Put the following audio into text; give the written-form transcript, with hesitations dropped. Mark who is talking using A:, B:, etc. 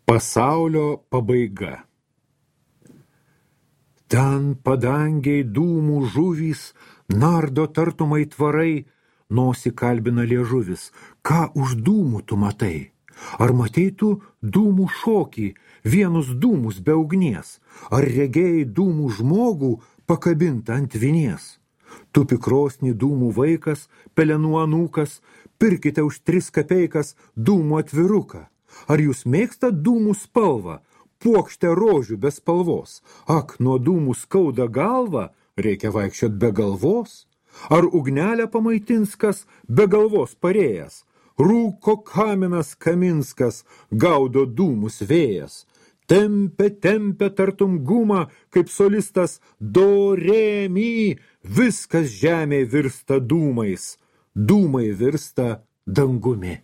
A: Pasaulio pabaiga. Ten padangiai dūmų žuvys, nardo tartum aitvarai, nosį kalbina liežuvis. Ką už dūmų tu matai? Ar matei tu dūmų šokį, vienus dūmus be ugnies? Ar regėjai dūmų žmogų pakabintą ant vinies? Tupi krosnį dūmų vaikas, pelenų anūkas, pirkite už 3 kapeikas dūmų atviruką. Ar jūs mėgstat dūmų spalvą, puokštę rožių be spalvos? Ak, nuo dūmų skauda galva, reikia vaikščiot be galvos? Ar ugnelę pamaitins kas be galvos parėjęs? Rūko kaminas Kaminskas, gaudo dūmus vėjas. Tempia tartum gumą, kaip solistas do, re, mi, viskas žemėje virsta dūmais, dūmai virsta dangumi.